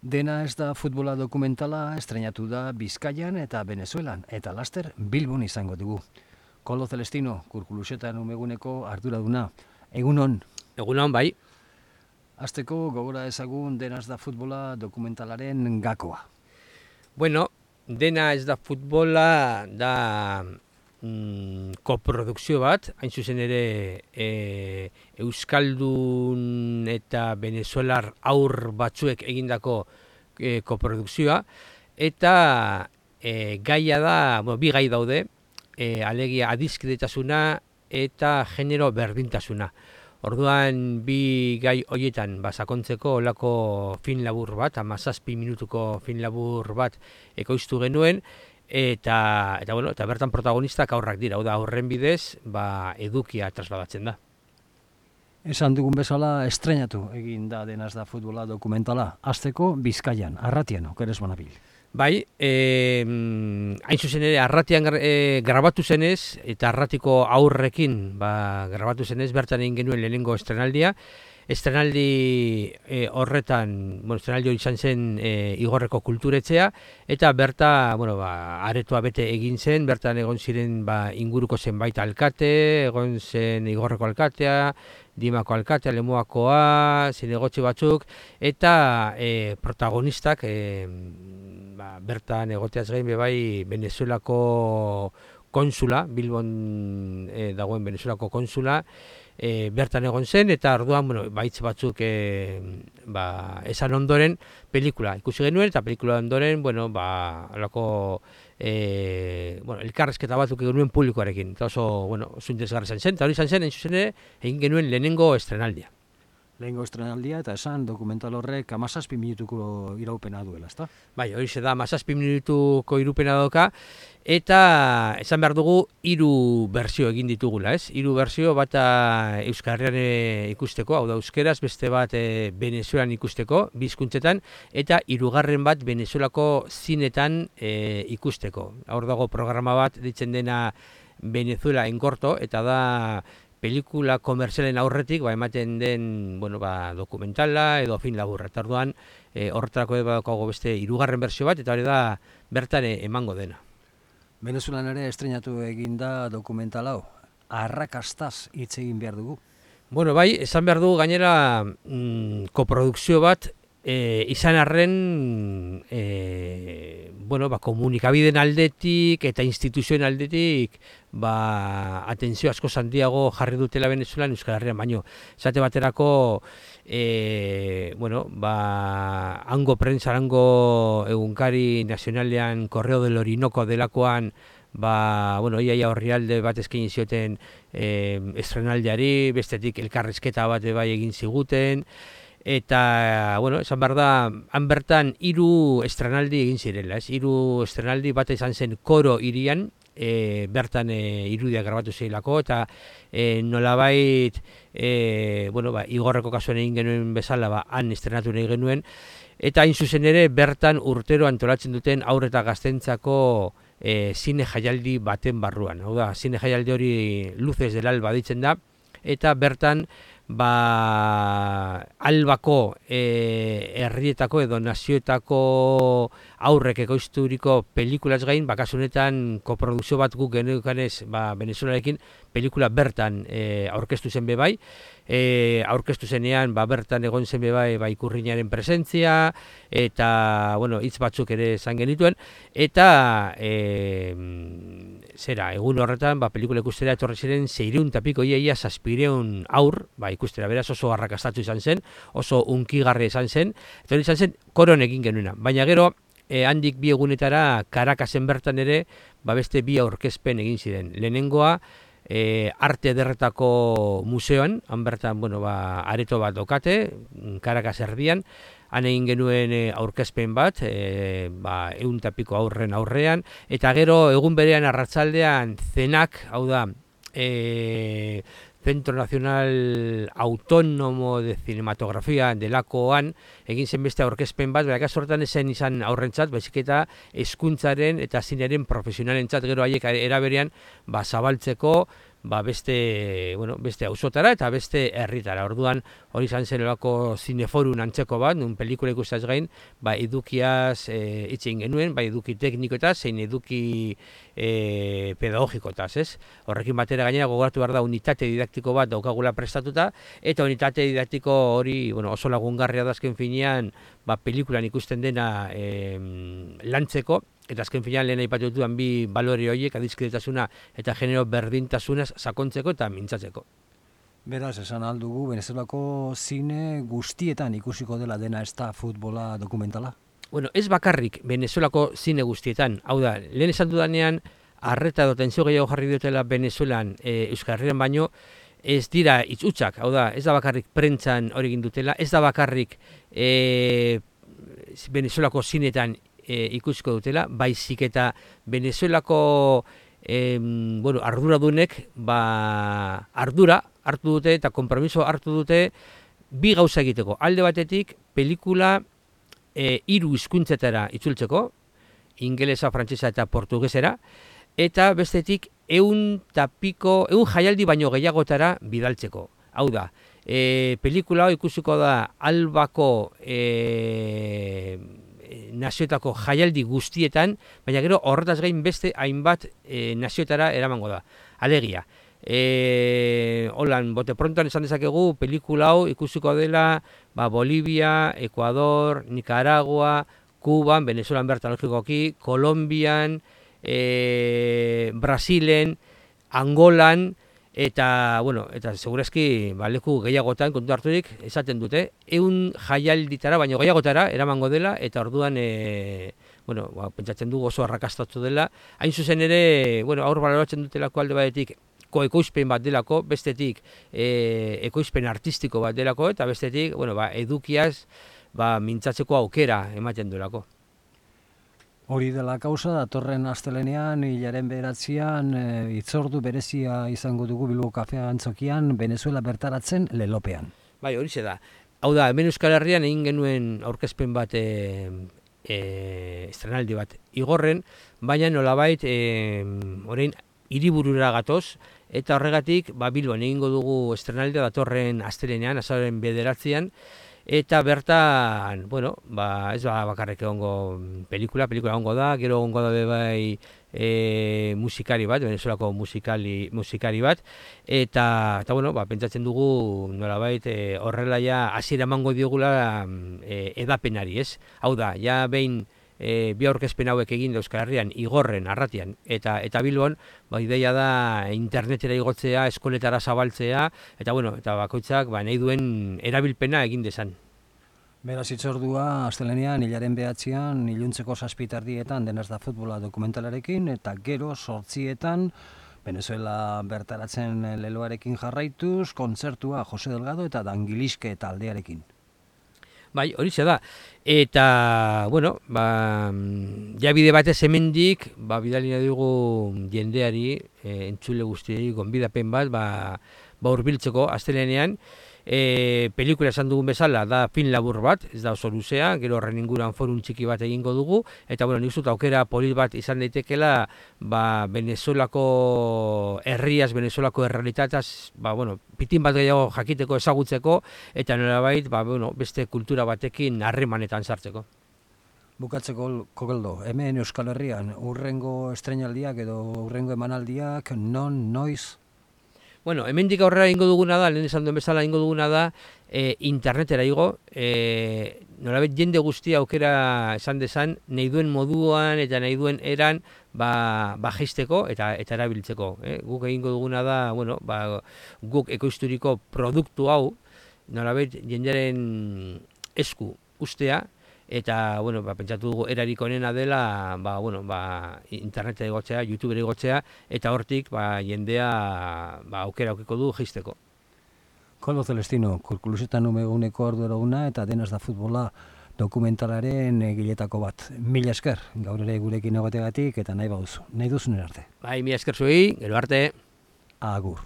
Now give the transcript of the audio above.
Dena ez da futbola dokumentala estreinatu da Bizkaian eta Venezuelan, eta laster Bilbon izango dugu. Kolo Celestino, Kurkuluxetan umeguneko arduraduna. Egunon. Egunon, bai. Hasteko gogora ezagun Dena ez da futbola dokumentalaren gakoa. Bueno, Dena ez da futbola da koprodukzio bat, hain zuzen ere Euskaldun eta Venezuelar aur batzuek egindako koprodukzioa, eta gaia da, bi gai daude, alegia adiskidetasuna eta genero berdintasuna. Orduan bi gai horietan sakontzeko olako film labur bat, 17 minutuko film labur bat ekoiztu genuen, eta bertan protagonistak aurrak dira, da horren bidez edukia trasladatzen da. Esan dugun bezala estreinatu egin da Dena ez da futbola dokumentala, hasteko Bizkaian, Arratian, okeres banabil. Bai, hain zuzen ere Arratian grabatu zenez, eta Arratiko aurrekin grabatu zenez, bertan egin genuen lehenengo estrenaldia. Estrenaldi horretan, estrenaldi hori izan zen Igorreko kulturetxea, eta berta, aretoa bete egin zen, bertan egon ziren inguruko zenbait alkate, egon zen Igorreko alkatea, Dimako alkatea, Lemoakoa, zinegotzi batzuk, eta protagonistak bertan egoteaz gain bebai Venezuelako konsula, Bilbon dagoen Venezuelako konsula, bertan egon zen, eta orduan baitz batzuk esan ondoren pelikula ikusi genuen, eta pelikula ondoren alako elkarrezketa batzuk egin genuen publikoarekin, eta oso interesgarri izan zen, eta hori izan zen, egin genuen lehenengo estrenaldia. Lehengo estrenaldia, eta esan dokumental horrek 17 minutuko iraupena duela, ezta? Bai, hori da 17 minutuko irupena doka, eta esan behar dugu 3 berzio egin ditugula, ez? 3 berzio, bata Euskal Herrian ikusteko, hau da euskeraz, beste bat Venezuelan ikusteko, bizkuntzetan, eta 3. bat Venezuelako zinetan ikusteko. Hor dago programa bat ditzen dena Venezuela en corto, eta da pelikula komerzialen aurretik ematen den dokumentala edo film laburra. Eta orduan horretarako badaukago beste 3. berzio bat, eta hori da bertan emango dena. Venezuelan ere estreinatu egin da dokumental hau. Arrakastaz hitz egin behar dugu. Bai, esan behar dugu gainera koprodukzio bat izan arren komunikabideen aldetik eta instituzioen aldetik atentzio asko handiago jarri dutela Venezuelan Euskal Herrian baino. Esate baterako hango prentsa, hango egunkari nazionalean Correo del Orinoco delakoan iaia orrialde bat eskaini zioten estrenaldiari, bestetik elkarrizketa bat egin ziguten. Eta, esan behar da, han bertan 3 estrenaldi egin zirela, 3 estrenaldi bat izan zen Koro hirian, bertan irudiak grabatu zirelako, eta nolabait, Igorreko kasuan egin genuen bezala, han estrenatu nahi genuen, eta hain zuzen ere, bertan urtero antolatzen duten haur eta gaztentzako zine jaialdi baten barruan. Hau da, zine jaialdi hori Luces del Alba ditzen da, eta bertan, albako herrietako edo nazioetako aurrek ekoizturiko pelikulaz gain, kasunetan koprodukzio bat guk geneukanez Venezuelarekin pelikula bertan aurkeztu zen bebai, aurkeztu zenean bertan egon zen bebai ikurriñaren presentzia, eta hitz batzuk ere esan genituen, eta egun horretan pelikula ikustera etorri ziren 600 eta piko, iaia 700 aur, ikustera, beraz oso arrakastatu izan zen, oso unkigarri izan zen, eta hori izan zen Koron egin genuena. Baina gero, handik 2 egunetara Caracas'en bertan ere, beste 2 aurkezpen egin ziren. Lehenengoa, Arte Ederretako museoan, han bertan, areto bat dokate, Caracas erdian, han egin genuen aurkezpen bat, 100 eta piko aurren aurrean, eta gero egun berean arratsaldean zenak, hau da, Centro Nacional Autónomo de Cinematografía delakoan egin zen beste aurkezpen bat, kasu horretan esen izan aurrentzat, baizik eta hezkuntzaren eta zinearen profesionalentzat gero haiek eraberean zabaltzeko beste auzotara eta beste herritara. Orduan hori izan zen olako zineforun antzeko bat, nun pelikula ikustaz gain, edukiaz hitz egin genuen, eduki teknikoetaz, zein eduki pedagogikotaz, ez? Horrekin batera gainera gogoratu behar da unitate didaktiko bat daukagula prestatuta, eta unitate didaktiko hori oso lagungarria da azken finean pelikulan ikusten dena lantzeko, eta azken finean lehen aipatu ditudan bi balore horiek, adiskidetasuna eta genero berdintasunaz sakontzeko eta mintzatzeko. Beraz, esan aldugu, Venezuelako zine guztietan ikusiko dela dena ez da futbola dokumentala? Bueno, ez bakarrik Venezuelako zine guztietan, hau da, lehen esan dudanean, arreta edo tentsio gehiago jarri diotela Venezuelan Euskal Herrian baino, ez dira itzutsak, hau da, ez da bakarrik prentzan hori egin dutela, ez da bakarrik Venezuelako zinetan ikusiko dutela, baizik eta Venezuelako arduradunek ardura hartu dute eta konpromiso hartu dute bi gauza egiteko. Alde batetik, pelikula 3 hizkuntzetara itzultzeko, ingelesa, frantsesa eta portugesera, eta bestetik 100 jaialdi baino gehiagotara bidaltzeko. Hau da, pelikula ikusiko da Albako nazioetako jaialdi guztietan, baina gero horretaz gain beste hainbat nazioetara eramango da. Alegia, holan, bote prontoan esan dezakegu, pelikula hau ikusiko dela Bolivia, Ecuador, Nicaragua, Kuban, Venezuelan bertan logikoki, Kolombian, Brasilen, Angolan, eta segurazki leku gehiagotan kontu harturik esaten dute, 100 jaialditara baino gehiagotara eramango dela, eta orduan pentsatzen dugu oso arrakastatu dela. Hain zuzen ere, aur baloratzen dutelako alde batetik ekoizpen bat delako, bestetik ekoizpen artistiko bat delako, eta bestetik edukiaz mintzatzeko aukera ematen duelako. Hori dela kausa, datorren astelenean, hilaren 9an, hitzordu berezia izango dugu Bilbo Kafea Antzokian, Venezuela bertaratzen lelopean. Bai, horixe da. Hau da, hemen Euskal Herrian egin genuen aurkezpen bat, estrenaldi bat igorren, baina nolabait orain hiriburura gatoz, eta horregatik Bilbon egingo dugu estrenaldia datorren astelenean, azaroaren 9an, eta bertan, ez bakarrik egongo pelikula egongo da, gero egongo da bai musikari bat, Venezuelako musikari bat, eta pentsatzen dugu nolabait horrela ja hasiera emango diogula edapenari, ez? Hau da, ja behin bi aurkezpen hauek egin da Euskal Herrian, igorren, arratian, eta Bilbon, ideia da internetera igotzea, eskoletara zabaltzea, eta bakoitzak nahi duen erabilpena egin dezan. Beraz, hitzordua astelenean, hilaren 9an, iluntzeko 7:00 denaz da futbola dokumentalarekin, eta gero 8:00 Venezuela bertaratzen leloarekin jarraituz, kontzertua Jose Delgado eta Dangiliske taldearekin. Bai, horixe da. Eta, ja bide batez hemendik, bidali nahi dugu jendeari, entzule guztiei, gonbidapen bat, hurbiltzeko astelenean, pelikula esan dugun bezala da film labur bat, ez da oso luzea, gero horren inguruan forum txiki bat egingo dugu, eta nik uste aukera polit bat izan daitekela Venezuelako herriaz, Venezuelako errealitataz, pitin bat gehiago jakiteko, ezagutzeko, eta nolabait beste kultura batekin harremanetan sartzeko. Bukatzeko, Kogeldo, hemen Euskal Herrian, hurrengo estreinaldiak edo hurrengo emanaldiak, noiz? Hemendik aurrera ingo duguna da, lehen esan duen bezala ingo duguna da, internetera igo, nolabait jende guztia aukera esan dezan, nahi duen moduan eta nahi duen eran jaisteko eta erabiltzeko. Guk egingo duguna da, guk ekoizturiko produktu hau, nolabait jendearen esku ustea, eta pentsatu dugu erarik onena dela interneta igotzea, YouTubera igotzea, eta hortik jendea aukera aukiko du jaisteko. Koldo Celestino, Kurkulusetan umeguneko arduraduna eta denaz da futbola dokumentalaren egiletako bat. Mila esker, gaur ere gurekin egoteagatik eta nahi baduzu. Nahi duzun arte. Bai, mila esker zuei, gero arte. Agur.